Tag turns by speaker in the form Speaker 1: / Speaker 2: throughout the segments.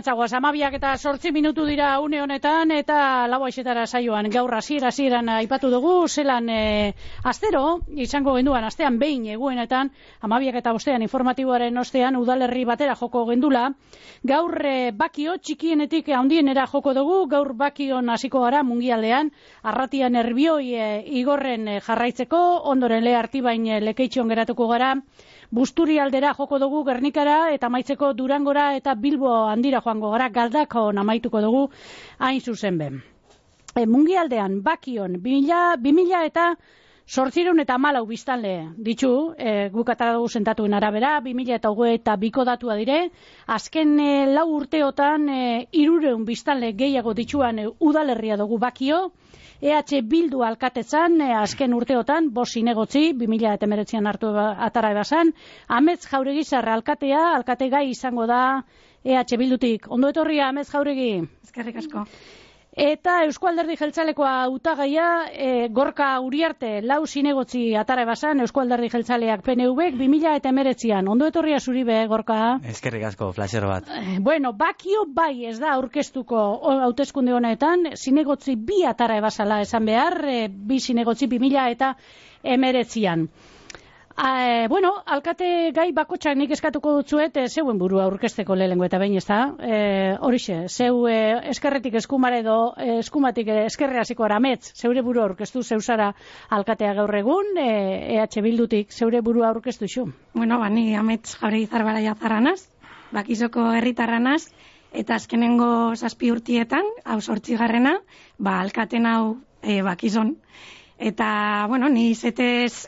Speaker 1: Arantzagoaz, 12:08 dira une honetan, eta lau aixetara saioan gaur hasieran aipatu dugu, zelan astero, izango genduan, astean behin eguenetan, 12:05 informatiboaren ostean, udalerri batera joko gendula, gaur bakio txikienetik handienera joko dugu, gaur bakion hasiko gara mungialdean, Arratian Nerbioi igorren jarraitzeko, ondoren Artibain Lekeitxon geratuko gara, Busturi aldera joko dugu Gernikara eta amaitzeko Durangora eta Bilbo handira joango gara, Galdakon amaituko dugu hain zuzen ben. Mungialdean bakion 2000 eta 814 biztanle ditu, guk atara dugu sentatuen arabera, 2022ko datua dire, azken 4 urteotan 300 biztanle gehiago dituan udalerria dugu bakio, EH Bildu alkatetzan, azken urteotan, 5 zinegotzi, 2019an hartu atara ebasan, Amets Jauregizarra alkatea, alkate gai izango da EH Bildutik. Ondo etorria, Amets Jauregi.
Speaker 2: Eskerrik asko.
Speaker 1: Eta Eusko Alderdi Jeltzalekoa hautagaia, Gorka Uriarte, 4 zinegotzi atara ebasan, Eusko Alderdi Jeltzaleak PNVek 2019an. Ondo etorria zuri be, Gorka.
Speaker 3: Eskerrik asko, flasher bat.
Speaker 1: Bueno, bakio bai ez da aurkeztuko hauteskunde honetan, zinegotzi 2 atara ebasala esan behar, 2 zinegotzi 2019an. Bueno, alkate gai bakotxak nik eskatuko dutzuet, zeuen burua aurkezteko lehengo eta behin ez da. Horixe, zeu eskerretik eskumare edo eskumatik eskerre hasiko Amets, zeure burua aurkeztu, zeuzara alkatea gaur egun, EH Bildutik zeure burua aurkeztu zu.
Speaker 2: Bueno, ni Amets Jauregizar Baraia zarranaz, bakizoko herritarranaz, eta azkenengo 7 urtietan, hau 8garrena, alkaten hau bakizon. Eta, bueno, ni zetez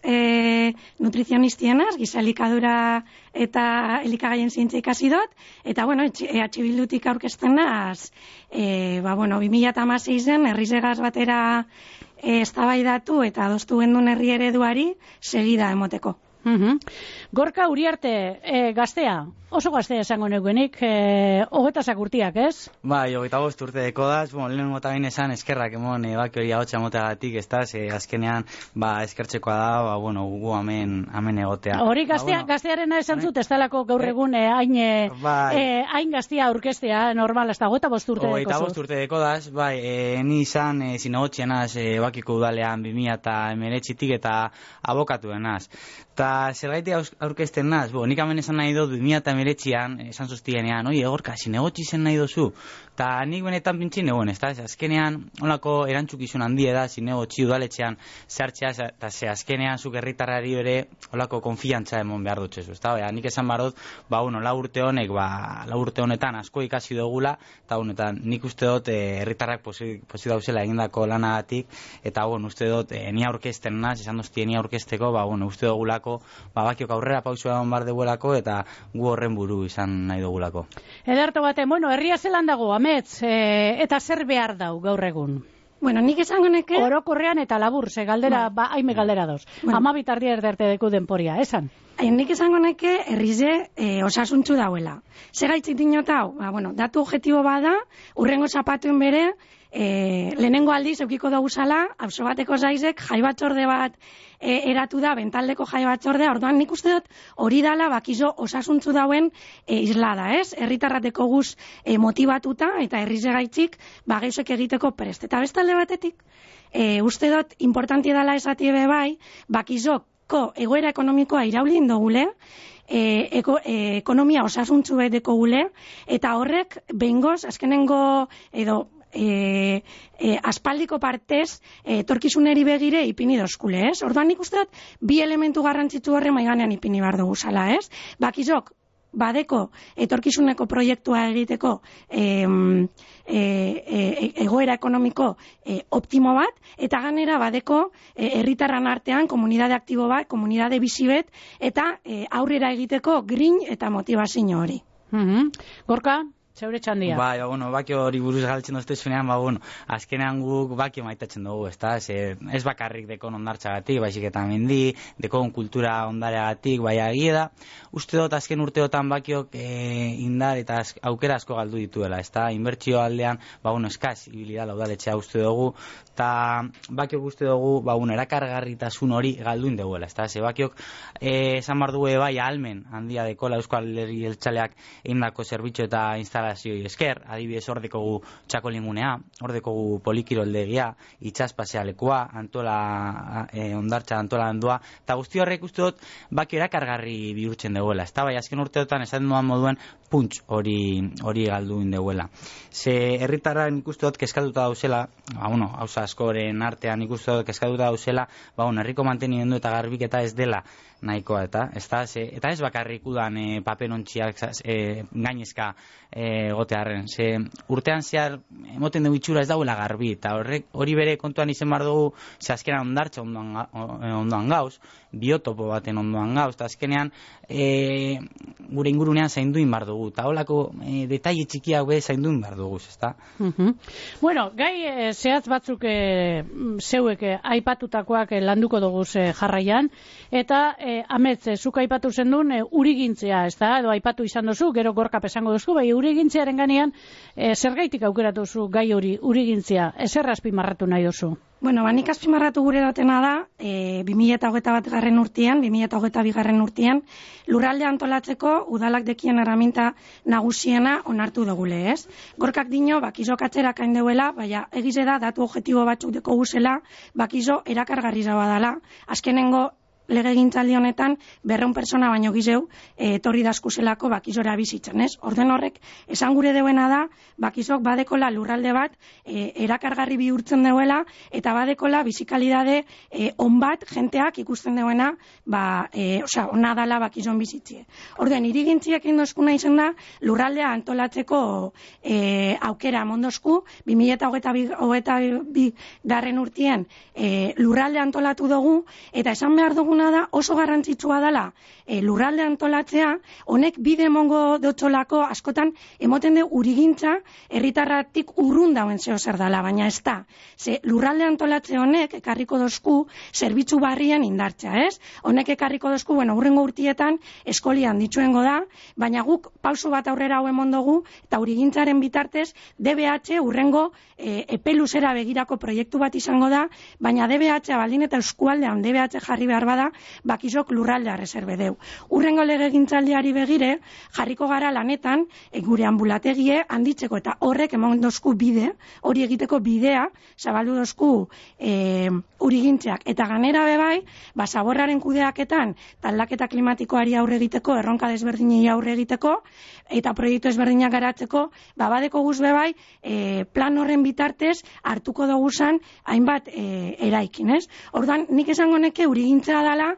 Speaker 2: nutrizionistionaz, gizalikadura eta elikagaien zientzia ikasi dut, eta, bueno, EH Bildutik aurkezten naz, 2016en herrizegaz batera eztabaidatu eta adostu gendun herri ereduari segida emoteko.
Speaker 1: Gorka Uriarte, gaztea, oso gaztea esango neukenik, 20 urtiak, ez?
Speaker 3: Bai, 25 urte dekodaz, lehenengo eta bain esan eskerrak emon baki hori ahotsa moteagatik, ez da, azkenean eskertzekoa da, gu hemen egotea.
Speaker 1: Hori gaztearena esan zut, ez talako gaur egun hain gaztea aurkestea, normal, ez da, 25 urte dekozuz.
Speaker 3: 25 urte dekodaz, ni izan zinegotxienaz bakiko udalean 2019tik eta abokatuenaz. Eta zergaitik aurkezten naz, nik hemen esan nahi dut 2019an, esan zuztienean, Gorka, zinegotxi zen nahi dozu. Eta nik benetan pintzin egon, ez da, azkenean, onako erantzukizun handia da, zinegotxi udaletxean zertxea, eta azkenean zuk herritarrari bere, onako konfiantza emon behar dutxezu, ez da, nik esan barot, 4 urte honek, 4 urte honetan asko ikasi dugula, eta nik uste dut herritarrak posi dauzela egindako lanagatik, eta uste dut, ni aurkezten naz, esan duztien ni aurkezteko, uste dugulako, bakiok aurrera pausua egon bar dugulako, eta gu horren buru izan nahi dugulako.
Speaker 1: Ederto baten, herria zelan dago, Amets, eta zer behar dau gaur egun?
Speaker 2: Bueno, nik esango neke...
Speaker 1: Orokorrean eta labur, ze galdera, haime galdera dauz. 12 tardia erderte deku denporia, esan?
Speaker 2: Nik esango neke herrize osasuntzu dauela. Segaitzik dinot hau, datu objektibo bada, urrengo zapatuen bere, lehenengo aldiz eukiko dugu zala, auzo bateko zaizek, jai batzorde bat eratu da, bentaldeko jai batzordea, orduan nik uste dut hori dala bakizo osasuntzu dauen islada, ez? Herritarrateko guz motibatuta eta herrize gaitzik geuzek egiteko prest. Eta bestalde batetik, uste dut importantia dala esatie bai, bakizoko egoera ekonomikoa iraulin dugule, ekonomia osasuntzu bedeko gule, eta horrek behingoz, azkenengo edo aspaldiko partez etorkizuneri begire ipini dozkule, ez? Orduan nik uste dut 2 elementu garrantzitsu horre maiganean ipini behar dugu zala, ez? Bakizok, badeko etorkizuneko proiektua egiteko egoera ekonomiko optimo bat, eta ganera badeko herritarran artean komunidade aktibo bat, komunidade bizi bet, eta aurrera egiteko grin eta motivazio hori.
Speaker 1: Gorka? Zeure txandia.
Speaker 3: Baki hori buruz galtzen doztezunean, azkenean guk baki maitatzen dugu, ez bakarrik dekon ondartxagatik, baizik eta mendi, dekon kultura ondareagatik, agie da, uste dut azken urteotan bakiok indar eta aukera asko galdu dituela, inbertsio aldean, eskaz, ibilida laudaletxea uste dugu, eta bakiok uste dugu, erakargarritasun hori galduin duguela, bakiok esan bar dugu ahalmen handia dekola Euskal Alderdi Jeltzaleak egindako zerbitzu eta instalazioi esker, adibidez ordekogu txakolingunea, ordekogu polikiroldegia, itxaspasea lekua, Antola ondartza antolandua, eta guzti horrek uste dut baki erakargarri bihurtzen duela. Ez da, bai, azken urteotan esan duan moduen punts hori galdu indeuela. Ze herritarrak ikuste dut kezkatuta dauzela, hauza askoren artean ikuste dut kezkatuta dauzela, herriko mantenimendu eta garbiketa ez dela nahikoa eta ez bakarrik udan paperontziak gainezka gotearren. Ze urtean zehar emoten dugu itxura ez dauela garbi, eta hori bere kontuan izen bar dugu, ze azkenan ondartza ondoan gauz, biotopo baten ondoan gauz, eta azkenean gure ingurunean zainduin bar dugu, eta holako detaile txikiak be zainduin bar dugu, ezta?
Speaker 1: Bueno, gai zehatz batzuk zeuek aipatutakoak landuko dugu jarraian, eta Amets, zuk aipatu zendun urigintzea, ez da, edo aipatu izan duzu, gero Gorkap esango duzu, bai urigintzearen ganean, zergaitik aukeratu zu gai hori urigintzea, ezer azpimarratu nahi duzu?
Speaker 2: Bueno, nik azpimarratu gure datena da, 2021 urtean, 2022 urtean, lurralde antolatzeko udalak dekien erraminta nagusiena onartu dugule, ez? Gorkak dino, bakizo katzerak hain deuela, baina egize da, datu objektibo batzuk deko guzela, bakizo erakargarri zaba dela. Azkenengo legegintzaldi honetan 200 persona baino gizeu etorri daskuzelako bakizora bizitzen, ez? Orden horrek, esan gure deuena da, bakizok badekola lurralde bat erakargarri bihurtzen deuela, eta badekola bizikalidade on bat jenteak ikusten deuena, ona dala bakizon bizitzie. Orden, irigintziak indozkuna izan da, lurraldea antolatzeko aukera mondosku, 2022 urtean lurralde antolatu dugu, eta esan behar dugu da oso garrantzitsua dela lurralde antolatzea, honek bide emongo dotxolako askotan emoten du urigintza herritarratik urrun dauen zeo zer dela, baina ez da. Ze lurralde antolatze honek ekarriko dozku zerbitzu barrien indartzea, ez? Honek ekarriko dozku, hurrengo urtietan eskolian ditzuengo da, baina guk pauso bat aurrera hauen mondogu, eta urigintzaren bitartez DBH urrengo epeluzera begirako proiektu bat izango da, baina DBH baldin eta eskualdean DBH jarri behar bada, bakizok lurraldea reserve deu. Urrengo legegintzaldiari begire, jarriko gara lanetan, gure ambulategie handitzeko, eta horrek emon dozku bide, hori egiteko bidea, zabaldu dozku urigintzeak. Eta ganera bebai, zaborraren kudeaketan, aldaketa klimatikoari aurre egiteko, erronka desberdinei aurre egiteko, eta proiektu ezberdinak garatzeko, badeko guz bebai, plan horren bitartez, hartuko duguzan, hainbat eraikin, ez? Orduan, nik esango neke urigintza dala,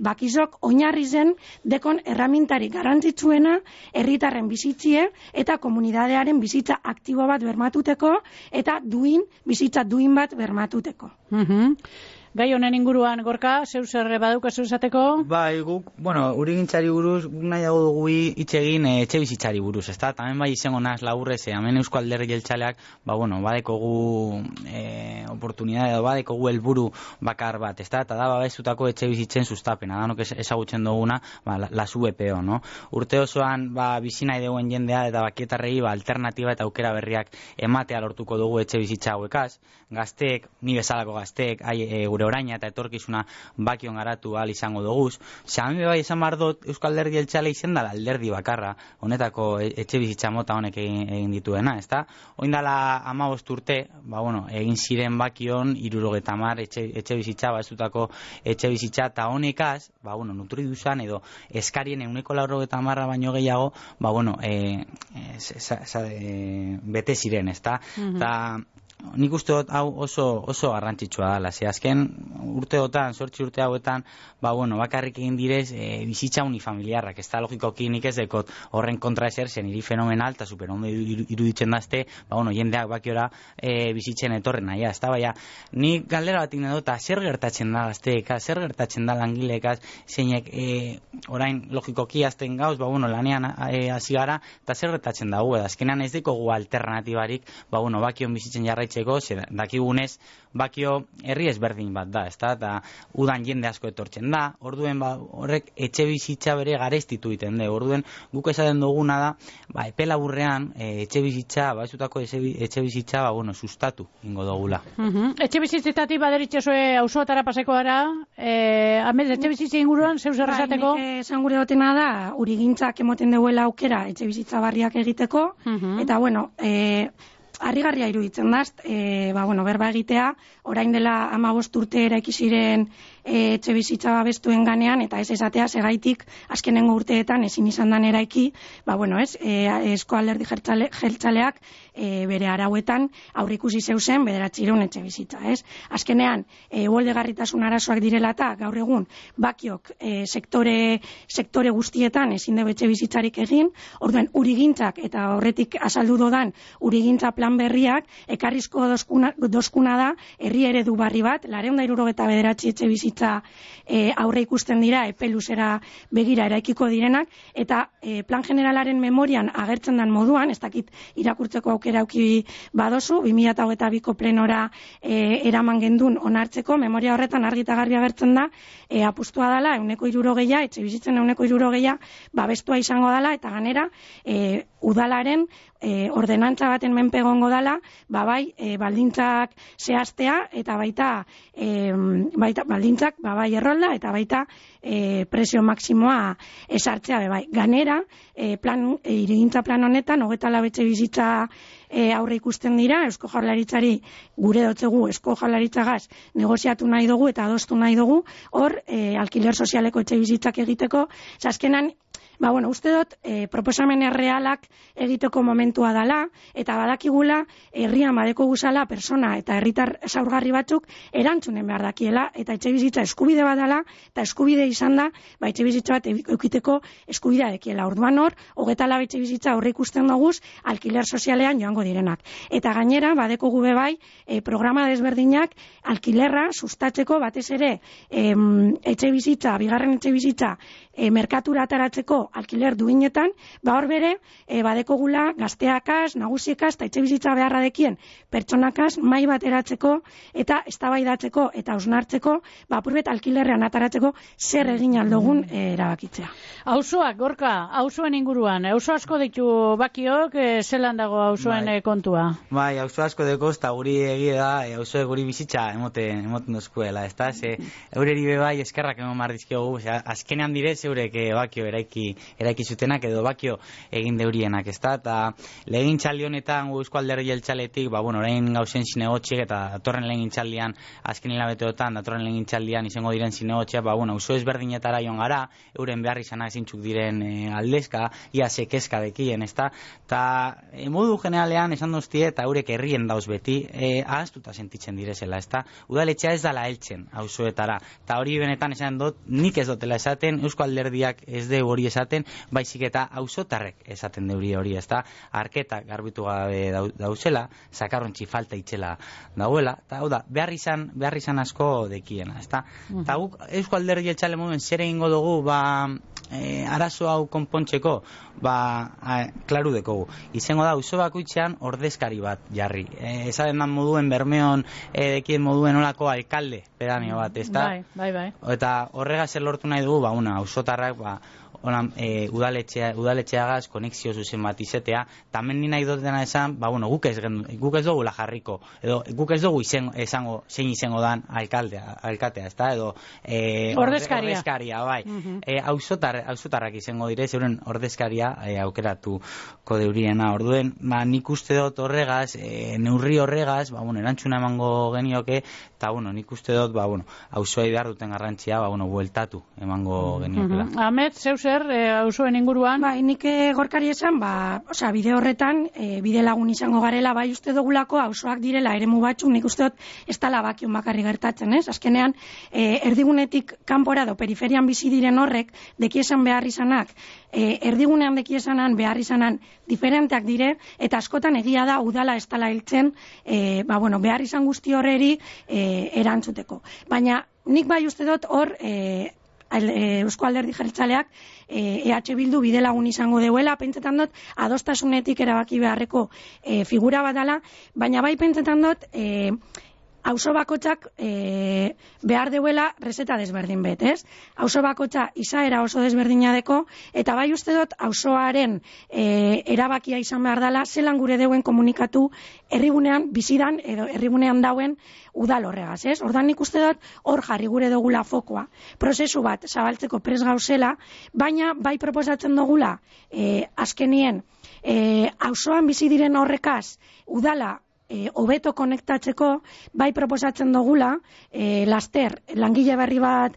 Speaker 2: bakizok oinarri zen dekon erramintari garrantzitsuena herritarren bizitzie eta komunidadearen bizitza aktibo bat bermatuteko eta bizitza duin bat bermatuteko.
Speaker 1: Gai honen inguruan, Gorka, zeu zer badaukazu esateko?
Speaker 3: Bai, guk, urigintzari buruz, nahiago dugu hitz egin etxe bizitzari buruz, ezta? Tamen bai izango naz laburrez, hemen Eusko Alderdi Jeltzaleak, badekogu oportunidade, badekogu helburu bakar bat, ezta? Eta da babestutako etxe bizitzen sustapena, danok ezagutzen duguna, la SUBPO, no? Urte osoan, bizi nahi duen jendea eta bakietarrei alternatiba eta aukera berriak ematea lortuko dugu etxe bizitza hauekaz. Gazteek, ni bezalako gazteek, gure oraina eta etorkizuna bakion garatu ahal izango duguz. Zean bai esan behar dut Euskal Alderdi Jeltzale izen dala alderdi bakarra, honetako etxe bizitza mota honek egin dituena, ezta? Oindala 15 urte, egin ziren bakion 70 etxe bizitza, bazutako etxe bizitza, eta honekaz, nutri duzan edo eskarien 190 baino gehiago, bete ziren, ezta? Eta nik uste dut hau oso garrantzitsua dela, ze azken urteotan, 8 urte hauetan, bakarrik egin direz bizitza unifamiliarrak, ez da logikoki nik ez dekot horren kontra ezer, zen hiri fenomenal, eta superondo iruditzen dazte, jendeak bakiora bizitzen etorren nahi, ez da, baina nik galdera bat egin dut, zer gertatzen da gazteekaz, zer gertatzen da langileekaz, zeinek orain logikoki azten gauz, lanean hasi gara, eta zer gertatzen da, azkenean ez dekogu alternatibarik, bakion bizitzen jarraitzen udaletxeko, dakigunez, Bakio herri ezberdin bat da, ezta? Eta udan jende asko etortzen da, orduen horrek etxe bizitza bere garestitu egiten da. Orduen guk esaten duguna da, epe laburrean etxe bizitza, etxe bizitza, sustatu ingo dugula.
Speaker 1: Etxe bizitzetatik baderitxezue auzoatara paseko gara, Amets, etxe bizitza inguruan, zeu zer esateko?
Speaker 2: Nik esan gure dotena da, urigintzak emoten duela aukera etxe bizitza barriak egiteko, eta harrigarria iruditzen daz, berba egitea, orain dela 15 urte eraiki ziren etxe bizitza babestuen ganean, eta ez esatea segaitik azkenengo urteetan ezin izan dan eraiki, Euzko Alderdi Jeltzaleak bere arauetan aurrikusi zeuzen 900 etxe bizitza, ez? Azkenean, uholdegarritasun arazoak direla eta gaur egun Bakiok sektore guztietan ezin dugu etxe bizitzarik egin, orduen urigintzak eta horretik azaldu dodan urigintza plan berriak ekarrizko dozkuna da herri eredu barri bat, 279 etxe bizitza aurre ikusten dira epe luzera begira eraikiko direnak, eta plan generalaren memorian agertzen den moduan, ez dakit irakurtzeko aukera auki badozu, 2022ko plenora eraman gendun onartzeko, memoria horretan argi eta garbi agertzen da, apustua dela 160, etxe bizitzen 160 babestua izango dela, eta ganera udalaren ordenantza baten menpe egongo dela, baldintzak zehaztea, eta baita baldintzak errolda, eta baita presio maksimoa esartzea bebai. Ganera, hirigintza plan honetan, 24 etxe bizitza aurre ikusten dira, Eusko Jaurlaritzari gure dotzegu Eusko Jaurlaritzagaz negoziatu nahi dugu eta adostu nahi dugu, hor alkiler sozialeko etxe bizitzak egiteko, azkenan uste dut, proposamen errealak egiteko momentua dela, eta badakigula, herrian badeko guzala, persona eta herritar zaurgarri batzuk erantzunen behar dakiela, eta etxe bizitza eskubide bat dela, eta eskubide izan da, etxe bizitza bat eukiteko eskubidea dekiela. Orduan hor, 24 etxe bizitza horre ikusten doguz, alkiler sozialean joango direnak. Eta gainera, badeko gube bai, programa desberdinak, alkilerra sustatzeko batez ere, etxe bizitza, bigarren etxe bizitza, merkatura ataratzeko alkiler duinetan, hor bere, badeko gula gazteakaz, nagusiekaz, eta etxe bizitza beharra dekien pertsonakaz, mai bat eratzeko, eta eztabaidatzeko eta osnartzeko, apurbet alkilerrean ataratzeko zer egin aldogun erabakitzea.
Speaker 1: Auzoak, Gorka, auzoen inguruan, auzo asko ditu Bakiok, zelan dago auzoen kontua?
Speaker 3: Bai, auzo asko deko, eta guri egia da, auzoek guri bizitza emoten dozkuela, ez da? Eureri bebai eskerrak emon mardizkiogu, azkenean direz, eurek Bakio eraiki zutenak edo Bakio egin deurienak, ezta? Eta legegintzaldi honetan Eusko Alderdi Jeltzaletik, orain gauzen zinegotxiek eta datorren legegintzaldian azken hilabeteotan, datorren legegintzaldian izango diren zinegotxiak, auzo ezberdinetara joan gara, euren behar izanak zintzuk diren aldezka, ia sekezka dekien, ezta? Eta modu generalean esan doztie eta eurek herrien dauz beti, ahaztuta sentitzen direzela, ezta? Udaletxea ez dala heltzen auzoetara, eta hori benetan esan dut, nik ez dutela esaten, Eusko Alderdiak ez de hori esaten, baizik eta auzotarrek esaten deuri hori, ezta? Arketak garbitu gabe dauzela, sakarrontzi falta itxela dauela, eta hau da, behar izan asko dekiena, ezta? Eta guk Eusko Alderdi Jeltzale moduen zer egingo dugu, arazo hau konpontzeko, klaru dekogu. Izango da, auzo bakoitzean ordezkari bat jarri. Esaten dan moduen, Bermeon dekien moduen olako alkalde pedaneo bat, ezta?
Speaker 1: Bai.
Speaker 3: Eta horrega zer lortu nahi dugu, auzotarrak, udaletxeagaz konexio zuzen bat izetea, tamen ni nahi dutena esan, guk ez dugu jarriko, edo guk ez dugu esango zein izango dan alkatea, ezta, edo ordezkaria, bai. Auzotarrak izango dire, zeuren ordezkaria aukeratuko deuriena. Orduen, nik uste dut horregaz, neurri horregaz, erantzuna emango genioke, eta nik uste dut, auzoei behar duten garrantzia, bueltatu emango geniokela.
Speaker 1: Amets, zeu zer, auzoen inguruan?
Speaker 2: Nik Gorkari esan, bide horretan, bide lagun izango garela, uste dugulako auzoak direla eremu batzu, nik uste dut ez dala Bakion bakarri gertatzen, ez? Azkenean, erdigunetik kanpora edo periferian bizi diren horrek, dekiesan behar izanak, erdigunean dekiesanan behar izanan diferenteak dire, eta askotan egia da udala ez dala hiltzen, behar izan guzti horreri erantzuteko. Baina nik uste dut hor, Eusko Alderdi Jeltzaleak EH Bildu bidelagun izango deuela, pentsetan dut adostasunetik erabaki beharreko figura bat dela, baina bai pentsetan dut auzo bakotzak behar deuela reseta desberdin bet, ez? Auzo bakotza izaera oso desberdina deko, eta bai uste dut auzoaren erabakia izan behar dela, zelan gure deuen komunikatu herrigunean bizidan edo herrigunean dauen udal horregaz, ez? Ordan nik uste dut hor jarri gure dugula fokoa. Prozesu bat zabaltzeko prest gauzela, baina bai proposatzen dugula azkenien auzoan bizi diren horrekaz udala hobeto konektatzeko, bai proposatzen dugula, laster, langile berri bat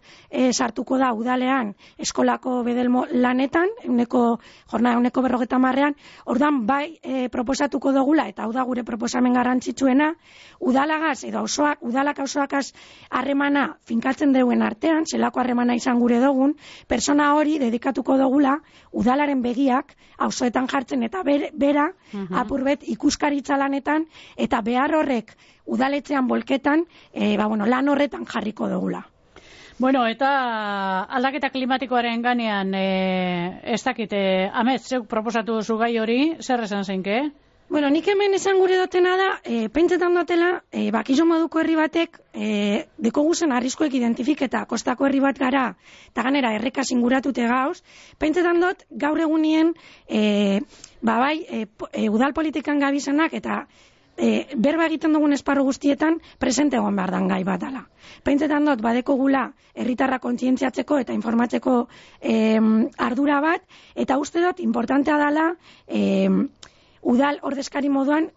Speaker 2: sartuko da udalean eskolako bedelmo lanetan, jornada 50%, ordan bai proposatuko dugula, eta hau da gure proposamen garrantzitsuena, udalagaz edo udalak auzoakaz harremana finkatzen deuen artean, zelako harremana izan gure dugun, persona hori dedikatuko dugula udalaren begiak auzoetan jartzen eta bera apurbet ikuskaritza lanetan eta behar horrek udaletzean bolketan, lan horretan jarriko dugula.
Speaker 1: Bueno, eta aldaketa klimatikoaren ganean, ez dakite, Amets, zeuk proposatu duzu gai hori, zer esan zeinke?
Speaker 2: Bueno, nik hemen esan gure dutena da, pentsetan dutela, bakizo moduko herri batek, deko guzen arriskuek identifiketa, kostako herri bat gara, eta ganera errekaz inguratute gauz, pentsetan dut, gaur egunien, udal politikan gabizanak, eta berba egiten dugun esparru guztietan presente egon behar dan gai bat dela. Pentsetan dut, badeko gula herritarra kontzientziatzeko eta informatzeko ardura bat, eta uste dut, importantea dela udal ordezkari moduan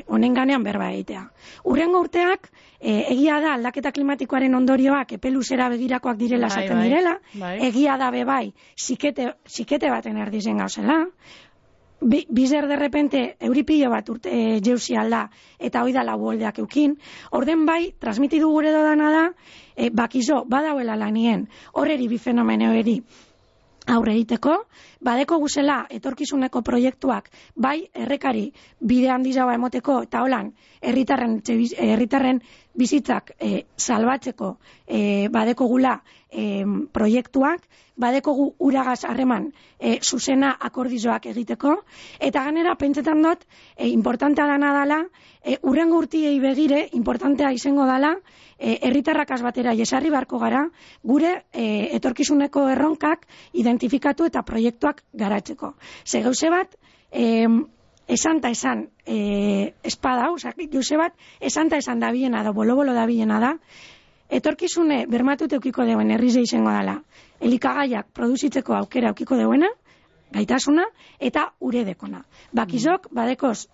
Speaker 2: honen ganean berba egitea. Hurrengo urteak, egia da aldaketa klimatikoaren ondorioak epeluzera begirakoak direla esaten direla, egia da bebai zikete baten erdizen gauzela, bizer de repente euripillo bat urte jeusi alda eta hoi da labuoldeak eukin, orden bai transmitidu gure dodana da, bakizo badauela lanien horreri bi fenomeno eri aurre egiteko, badeko guzela etorkizuneko proiektuak bai errekari bide handizagoa emoteko eta holan herritarren bizitzak salbatzeko badeko gula proiektuak, badeko gu uragaz harreman zuzena akordizoak egiteko, eta ganera pentsetan dut importantea dana dala, urrengo urtiei begire importantea izango dala, herritarrakaz batera jesarri barko gara, gure etorkizuneko erronkak identifikatu eta proiektuak garatzeko. Ze gauze bat, esan ta esan espada, gauze bat, esan ta esan dabilena da, bolo-bolo dabilena da, etorkizune bermatute eukiko deuen herrize izango dela, elikagaiak produzitzeko aukera eukiko deuena, gaitasuna, eta uredekona. Bakizok, badekoz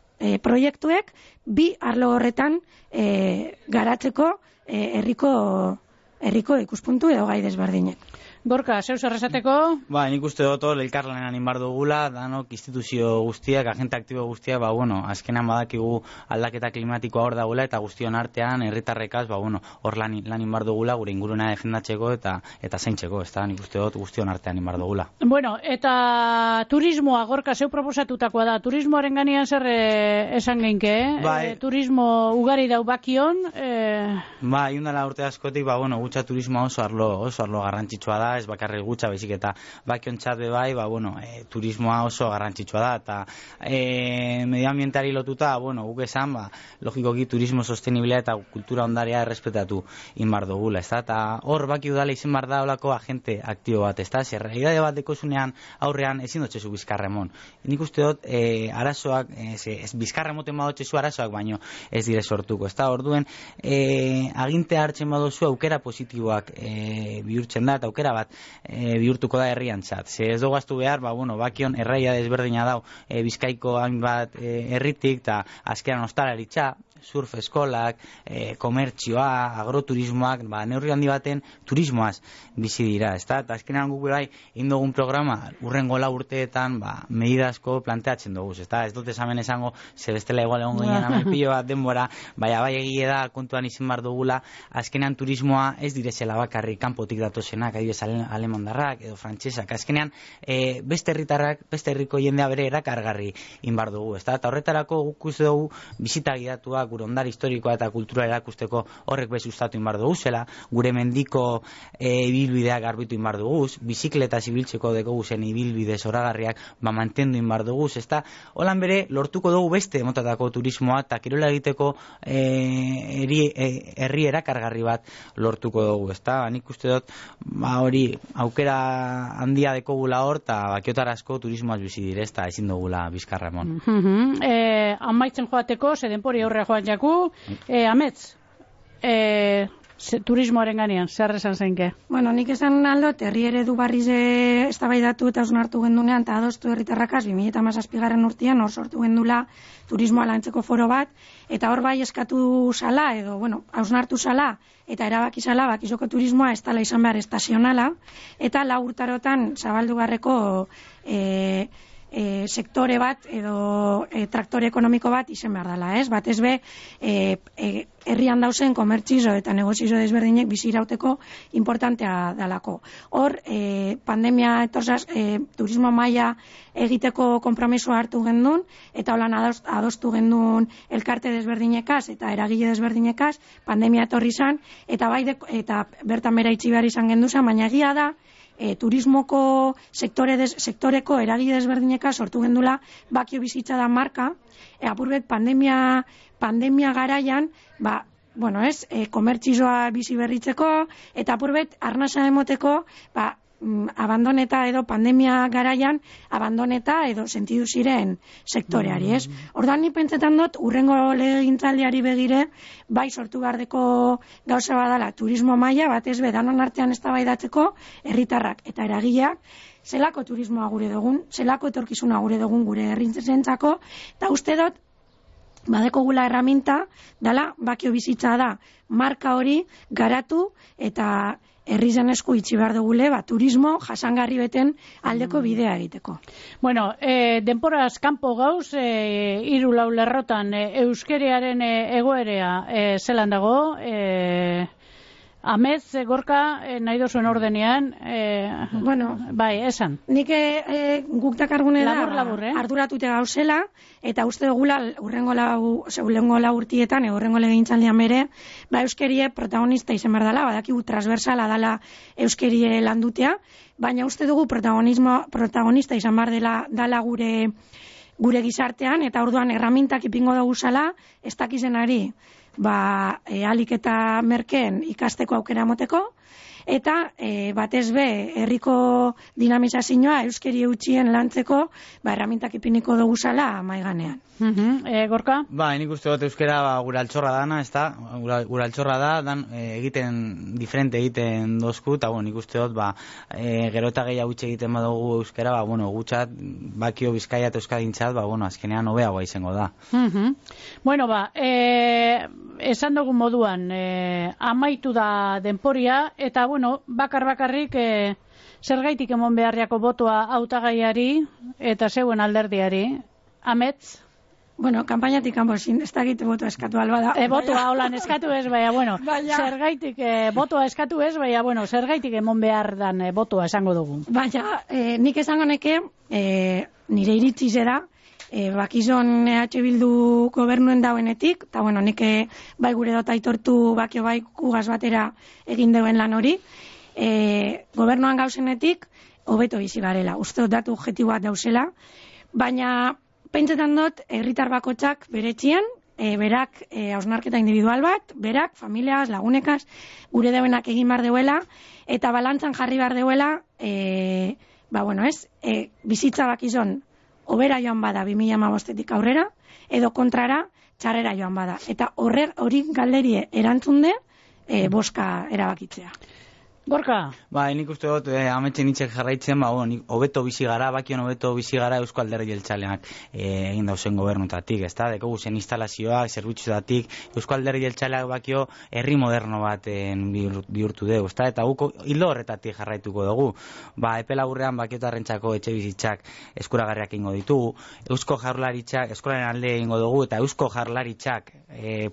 Speaker 2: proiektuek, bi arlo horretan garatzeko herriko ikuspuntu edo gai desberdinek.
Speaker 1: Gorka, zeu zer esateko?
Speaker 3: Nik uste dut elkarlanean inbar dugula, danok instituzio guztiak, agente aktibo guztiak, azkenan badakigu aldaketa klimatikoa hor dagoela eta guztion artean herritarrekaz, hor lan inbar dugula gure inguruna defendatzeko eta zaintzeko, ez da, nik uste dut guztion artean inbar dugula.
Speaker 1: Bueno, eta turismoa, Gorka, zeu proposatutakoa da, turismoaren ganean zer esan geinke, turismo ugari dau bakion?
Speaker 3: Iundala urte askotik, gutxa turismoa oso arlo garrantzitsua da, ez bakarrik gutxa, baizik eta bakiontzat bebai, turismoa oso garrantzitsua da, eta medioambientari lotuta, guk esan, logikoki turismo sostenibilea eta kultura ondarea errespetatu inbar dugula, ez da, eta hor baki udala izan bar da olako agente aktibo bat, ez da, zer realidade bat dekozunean aurrean ezin dotxezu bizkarremon. Nik uste dut, arazoak, bizkarremoten badotxezu arazoak, baino ez dire sortuko, ez da, orduen, aginte hartzen badozu aukera positiboak bihurtzen da, eta aukera bat bihurtuko da herriantzat. Ze ez dogaztu behar, bakion erraia desberdina dau Bizkaiko hainbat herritik, eta azkeran ostalaritza, surf eskolak, komertzioa, agroturismoak, neurri handi baten turismoaz bizi dira, ez da? Eta azkenean guk bai, indogun programa, urrengo lau urteetan, medidazko planteatzen dugu, ez da? Ez dut esamen esango, ze bestela igual egon ginen amilpillo bat denbora, bai egie da, kontuan izan bar dugula, azkenean turismoa ez direzela bakarrik kanpotik datozenak, adibidez alemandarrak edo frantsesak, azkenean beste herritarrak, beste herriko jendea bere erakargarri inbar dugu, ez da? Eta horretarako guk uste dugu bizita gidatuak gure ondare historikoa eta kultura erakusteko horrek bez sustatu inbar dugu zela, gure mendiko ibilbideak garbitu inbar dugu, bizikleta zibiltzeko dugu zen ibilbide zoragarriak mantendu inbar dugu, ezta? Holan bere, lortuko dugu beste motatako turismoa eta kirola egiteko herri erakargarri bat lortuko dugu, ezta? Nik uste dut, hori aukera handia dekogula hor, eta bakiotarazko turismoaz bizi dire, ezta ezin dugula bizkarra emon.
Speaker 1: Amaitzen joateko, denpori aurrea joan jaku, Amets, turismoaren ganean, zer esan zeinke?
Speaker 2: Bueno, nik esan aldot, herri eredu barriz eztabaidatu eta hausnartu gendunean, eta adostu herritarrakaz 2017 urtean hor sortu gendula turismoa lantzeko foro bat, eta hor bai eskatu sala, edo, bueno, hausnartu sala, eta erabaki sala, bakizoko turismoa ez dela izan behar estazionala, eta 4 urtarotan zabaldu garreko sektore bat edo traktore ekonomiko bat izan behar dela, ez? Batez be, herrian dauzen komertzizo eta negozizo desberdinek bizirauteko importantea dalako. Hor, pandemia etorzaz, turismo maila egiteko konpromisoa hartu gendun, eta holan adostu gendun elkarte desberdinekaz eta eragile desberdinekaz, pandemia etorri izan, eta bertan bera itxi behar izan genduzan, baina egia da, turismoko sektoreko eragile desberdineka sortu gendula bakio bizitza da marka, apurbet pandemia garaian, bueno, ez, komertzizoa bizi berritzeko, eta apurbet arnasa emoteko, abandoneta edo pandemia garaian abandoneta edo sentidu ziren sektoreari, ez? Orduan ni pentsetan dut urrengo legegintzaldiari begire bai sortu gardeko gauza badala turismo maila, batez be danon artean eztabaidatzeko herritarrak eta eragileak zelako turismoa gure dugun, zelako etorkizuna gure dugun gure herrientzako, eta uste dut badekogula erraminta dala bakio bizitza da marka hori garatu eta herri zen esku itxi behar dugule, turismo jasangarri beten aldeko bidea egiteko.
Speaker 1: Bueno, denporaz kanpo gauz, 3-4 lerrotan euskeriaren egoerea zelan dago, Amets, Gorka, nahi dozuen ordenean,
Speaker 2: bueno,
Speaker 1: bai, esan.
Speaker 2: Nik guk dakargune da,
Speaker 1: labur,
Speaker 2: arduratute gauzela, eta uste dugula urrengo lau urtietan, urrengo legegintzaldian bere, euskerie protagonista izan behar dela, badakigu transversala dela euskierie landutea, baina uste dugu protagonista izan behar dela gure gizartean, eta orduan erramintak ipingo dugu zala, ez dakizenari, alik eta merkeen ikasteko aukera moteko, eta batez be herriko dinamizazioa euskeri eutxien lantzeko erramintak ipiniko dugu zala maiganean.
Speaker 1: Gorka?
Speaker 3: Nik uste dut euskera gure altxorra dana, ez da? Gure altxorra da, egiten diferente egiten dozku, eta nik uste dut gero eta gehiago utxe egiten badugu euskera, gutxat, bakio Bizkaia eta Euskadintzat, azkenean hobeagoa izango da.
Speaker 1: Bueno, esan dugun moduan, amaitu da denporia, eta bakarrik zergaitik emon beharriako botoa hautagaiari eta zeuen alderdiari. Amets?
Speaker 2: Bueno, kanpainatik kanpo ez dakit botoa eskatu alba da.
Speaker 1: Botoa holan eskatu ez, zergaitik botoa eskatu ez, zergaitik emon behar dan botoa esango dugu.
Speaker 2: Nik esango neke, nire iritzi zera, bakizon EH Bildu gobernuen dauenetik, eta nik bai gure dut aitortu bakio bai kugaz batera egin deuen lan hori, gobernuan gauzenetik, hobeto bizi garela. Uste dut datu objektiboak dauzela, baina pentsetan dut, herritar bakotxak beretxian, berak hausnarketa individual bat, berak, familiaz, lagunekaz, gure deuenak egin bar deuela, eta balantzan jarri bar deuela, bizitza bakizon, hobera joan bada 2015-etik aurrera, edo kontrara, txarrera joan bada. Eta hori galderie erantzunde, boska erabakitzea.
Speaker 1: Gorka?
Speaker 3: Nik uste dut, ametxe nitzek jarraitzen, hobeto bizi gara, bakion hobeto bizi gara Eusko Alderdi Jeltzaleak egin dauzen gobernutatik, ez da? Dekogu zen instalazioak, zerbitzuetatik, Eusko Alderdi Jeltzaleak bakio herri moderno bat bihurtu dugu, ez da? Eta guko hildo horretatik jarraituko dugu. Epe laburrean bakiotarrentzako etxe bizitzak eskuragarriak ingo ditugu, Eusko Jaurlaritzak, eskolaren alde ingo dugu, eta Eusko Jaurlaritzak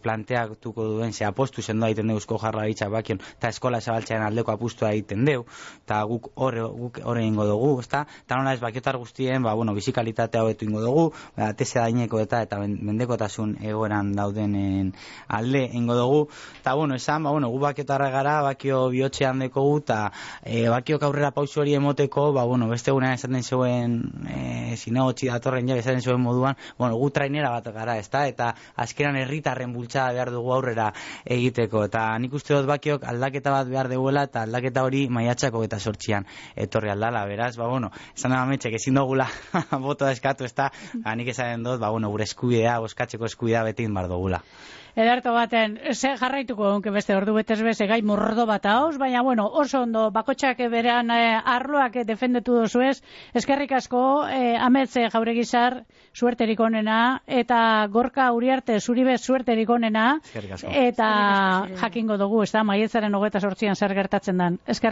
Speaker 3: planteatuko duen, apostu sendoa egiten du Eusko Jaurlaritzak bakion, eta eskola zabaltzearen aldeko apustua egiten deu, eta guk hor egingo dugu, ezta? Eta nola ez bakiotar guztien, bizikalitatea hobetu ingo dugu, ateze daineko eta mendekotasun egoeran daudenen alde ingo dugu, eta esan, gu bakiotarra gara, bakio bihotxean dekogu, eta bakiok aurrera pausu hori emoteko, beste egunean esaten zeuen zinegotzi datorren ja esaten zuen moduan, gu trainera bat gara, ezta? Eta azkeran herritarren bultzada behar dugu aurrera egiteko, eta nik uste dut bakiok aldaketa bat behar duguela, eta aldaketa hori maiatzako eta 8an etorri aldala, beraz, esan da mametxek ezin dugula botoa eskatu, ezta? Nik esaten dut, gure eskubidea, boskatzeko eskubidea beti inbar dugula.
Speaker 1: Ederto baten, jarraituko egunke beste ordu betez beste gai mordo bat hauz, baina oso ondo bakotxak berean arloak defendetu dozu ez, eskerrik asko, Ametz Jauregizar, suerterik onena, eta Gorka Uriarte Zuribe suerterik onena, eta jakingo dugu, ez da, maiatzaren 28an zer gertatzen den.